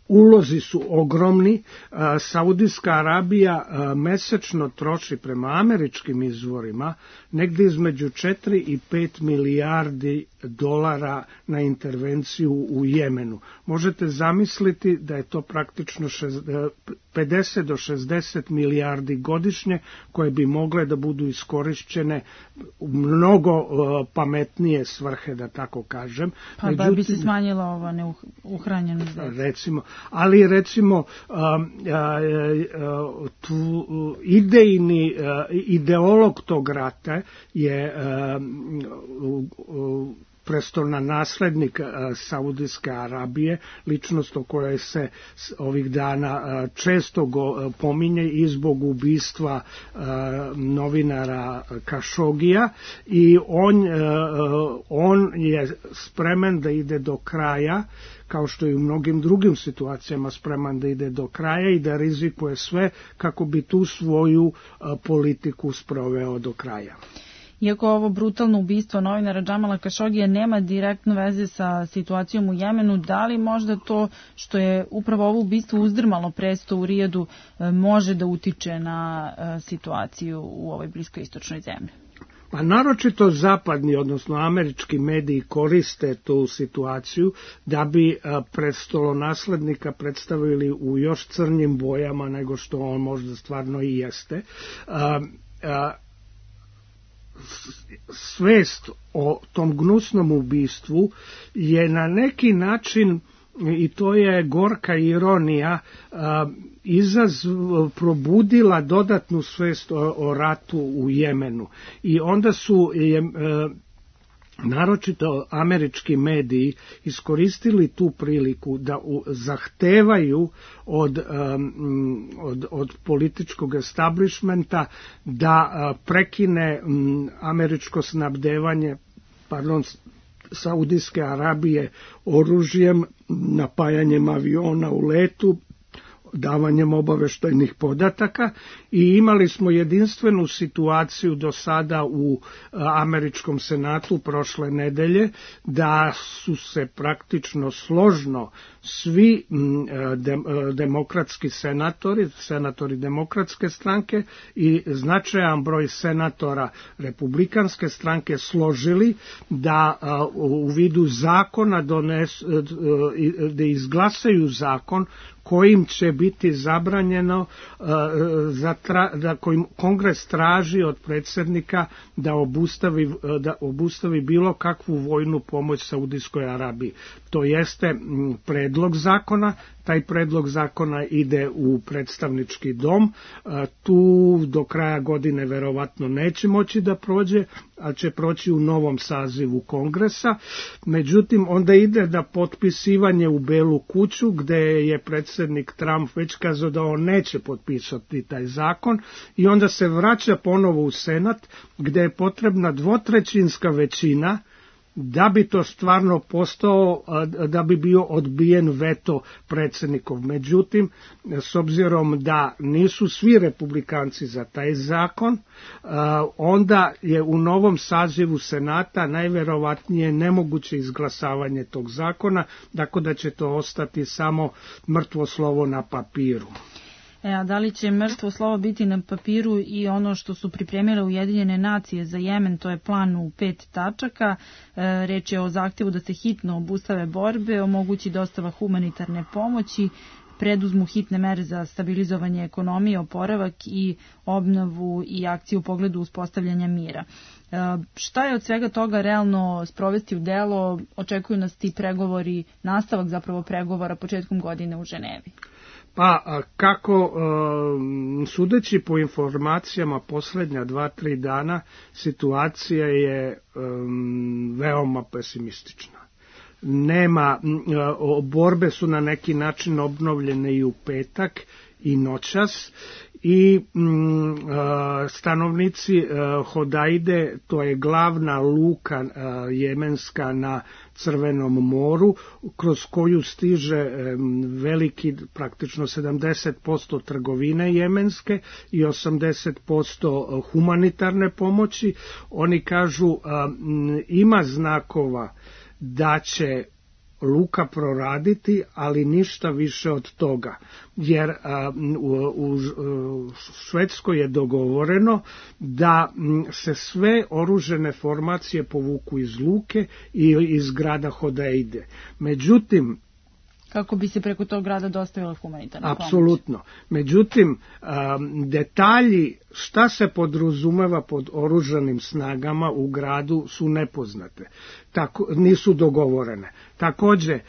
ulozi su ogromni. Saudijska Arabija mesečno troši prema američkim izvorima negdje između 4 i 5 milijardi dolara na intervenciju u Jemenu. Možete zamisliti da je to praktično 50 do 60 milijardi godišnje koje bi mogle da budu iskorišćene u mnogo pametnije svrhe, da tako kažem. Pa da bi se smanjila ova neuhranjenost. Recimo, ali recimo ideolog tog rata je prestolna naslednik Saudijske Arabije, ličnost o kojoj se ovih dana često pominje i zbog ubistva novinara Kašogija, i on je spreman da ide do kraja, kao što i u mnogim drugim situacijama spreman da ide do kraja i da rizikuje sve kako bi tu svoju politiku sproveo do kraja. Iako ovo brutalno ubistvo novinara Džamala Kašogija nema direktno veze sa situacijom u Jemenu, da li možda to što je upravo ovo ubistvo uzdrmalo presto u Rijadu može da utiče na situaciju u ovoj bliskoistočnoj zemlji? Pa naročito zapadni, odnosno američki mediji koriste tu situaciju da bi prestolonaslednika predstavili u još crnjim bojama nego što on možda stvarno i jeste. Svest o tom gnusnom ubistvu je na neki način, i to je gorka ironija, probudila dodatnu svest o ratu u Jemenu. I onda su naročito američki mediji iskoristili tu priliku da zahtevaju od političkog establishmenta da prekine američko snabdevanje Saudijske Arabije oružjem, napajanjem aviona u letu, davanjem obaveštajnih podataka, i imali smo jedinstvenu situaciju do sada u američkom senatu prošle nedelje da su se praktično složno svi demokratski senatori demokratske stranke i značajan broj senatora republikanske stranke složili da u vidu zakona da izglasaju zakon kojim će biti zabranjeno da kojim Kongres traži od predsjednika da obustavi bilo kakvu vojnu pomoć Saudijskoj Arabiji. To jeste predlog zakona. Taj predlog zakona ide u predstavnički dom. Tu do kraja godine verovatno neće moći da prođe, ali će proći u novom sazivu Kongresa. Međutim, onda ide da potpisivanje u Belu kuću, gde je predsjednik Trump već kazao da on neće potpisati taj zakon, i onda se vraća ponovo u Senat, gde je potrebna dvotrećinska većina da bi to stvarno postao, da bi bio odbijen veto predsjednikov. Međutim, s obzirom da nisu svi republikanci za taj zakon, onda je u novom sazivu Senata najverovatnije nemoguće izglasavanje tog zakona, tako da će to ostati samo mrtvo slovo na papiru. A da li će mrtvo slovo biti na papiru i ono što su pripremile Ujedinjene nacije za Jemen, to je plan u 5 tačaka. Reč je o zahtjevu da se hitno obustave borbe, omogući dostava humanitarne pomoći, preduzmu hitne mere za stabilizovanje ekonomije, oporavak i obnovu i akciju u pogledu uspostavljanja mira. Šta je od svega toga realno sprovesti u delo? Očekuju nas ti pregovori, nastavak zapravo pregovora početkom godine u Ženevi. Pa kako, sudeći po informacijama posljednja 2-3 dana, situacija je veoma pesimistična. nema, borbe su na neki način obnovljene i u petak i noćas i stanovnici Hodaide, to je glavna luka jemenska na Crvenom moru, kroz koju stiže veliki, praktično 70% trgovine jemenske i 80% humanitarne pomoći. Oni kažu ima znakova da će luka proraditi, ali ništa više od toga, jer u Švedskoj je dogovoreno da se sve oružane formacije povuku iz luke i iz grada Hodeide. Međutim, kako bi se preko tog grada dostavila humanitarna pomoć. Apsolutno. Međutim, detalji šta se podrazumeva pod oružanim snagama u gradu su nepoznate. Nisu dogovorene. Takođe,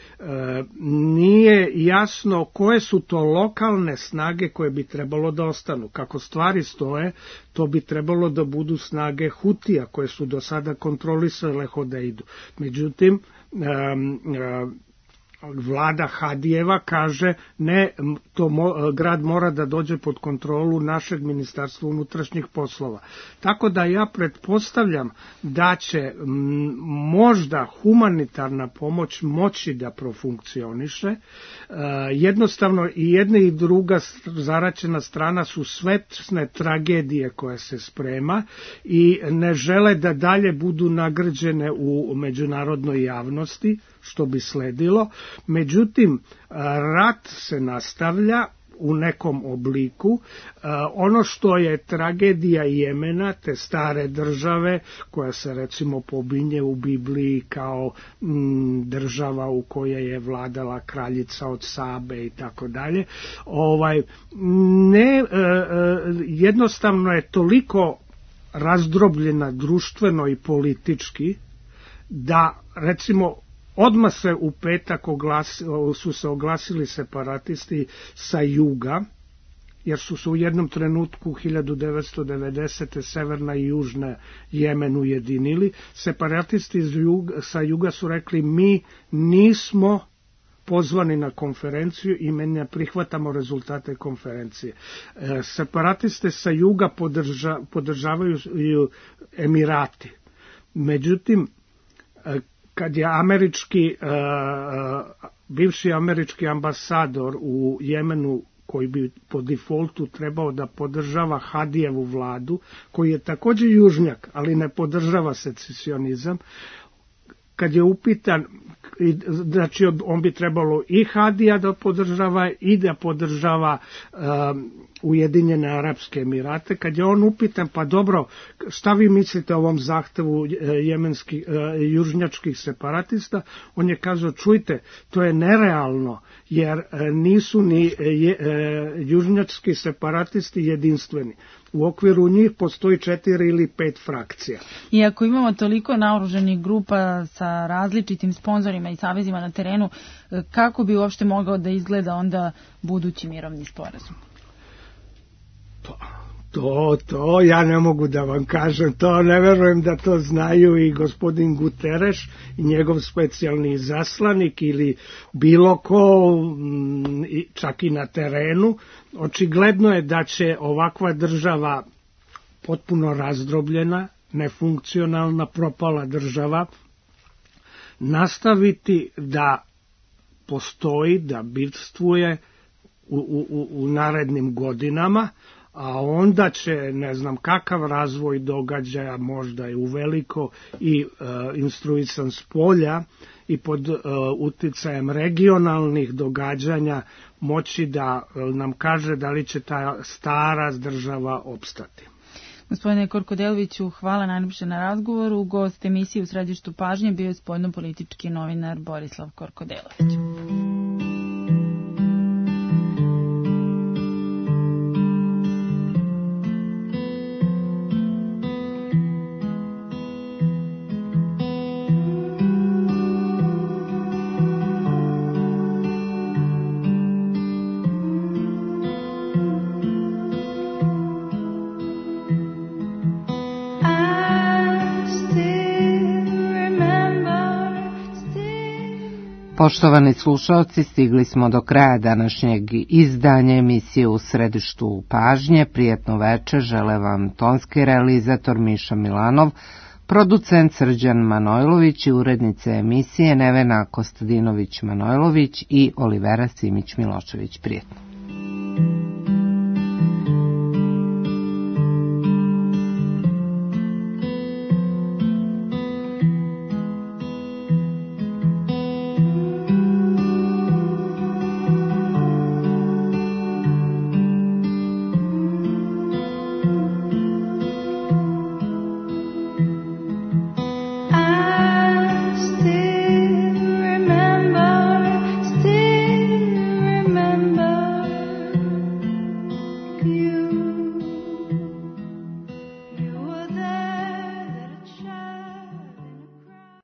nije jasno koje su to lokalne snage koje bi trebalo da ostanu. Kako stvari stoje, to bi trebalo da budu snage Hutija koje su do sada kontrolisale Hodeidu. Međutim, vlada Hadijeva kaže ne, grad mora da dođe pod kontrolu našeg ministarstva unutrašnjih poslova. Tako da ja pretpostavljam da će možda humanitarna pomoć moći da profunkcioniše. Jednostavno i jedna i druga zaraćena strana su svesne tragedije koje se sprema i ne žele da dalje budu nagrđene u međunarodnoj javnosti, što bi sledilo. Međutim, rat se nastavlja u nekom obliku. Ono što je tragedija Jemena, te stare države, koja se recimo pominje u Bibliji kao država u kojoj je vladala kraljica od Sabe i tako dalje, jednostavno je toliko razdrobljena društveno i politički da recimo odmah se u petak su se oglasili separatisti sa juga, jer su se u jednom trenutku 1990. severna i južna Jemen ujedinili. Separatisti sa juga su rekli mi nismo pozvani na konferenciju i mi ne prihvatamo rezultate konferencije. Separatiste sa juga podržavaju Emirati. Međutim, kad je bivši američki ambasador u Jemenu, koji bi po defaultu trebao da podržava Hadijevu vladu, koji je također južnjak, ali ne podržava secesionizam, kad je upitan, znači on bi trebalo i Hadija da podržava i da podržava Ujedinjene Arapske Emirate, kad je on upitan, pa dobro, šta vi mislite o ovom zahtevu južnjačkih separatista, on je kazao, čujte, to je nerealno, jer nisu ni južnjački separatisti jedinstveni. U okviru njih postoji 4 ili 5 frakcija. I ako imamo toliko naoružanih grupa sa različitim sponzorima i savezima na terenu, kako bi uopšte mogao da izgleda onda budući mirovni sporazum? To ja ne mogu da vam kažem, to ne verujem da to znaju i gospodin Guterres i njegov specijalni izaslanik ili bilo ko, čak i na terenu. Očigledno je da će ovakva država potpuno razdrobljena, nefunkcionalna, propala država nastaviti da postoji, da bitvuje u narednim godinama, a onda će ne znam kakav razvoj događaja, možda i uveliko i instruisan s polja i pod uticajem regionalnih događanja moći da nam kaže da li će ta stara država opstati. Gospodine Korkodeloviću, hvala najljepše na razgovoru. Gost emisije u središtu pažnje bio je spoljnopolitički novinar Borislav Korkodelović. Poštovani slušalci, stigli smo do kraja današnjeg izdanja emisije U središtu pažnje. Prijetno večer, žele vam tonski realizator Miša Milanov, producent Srđan Manojlović i urednice emisije Nevena Kostadinović-Manojlović i Olivera Simić-Milošević. Prijetno.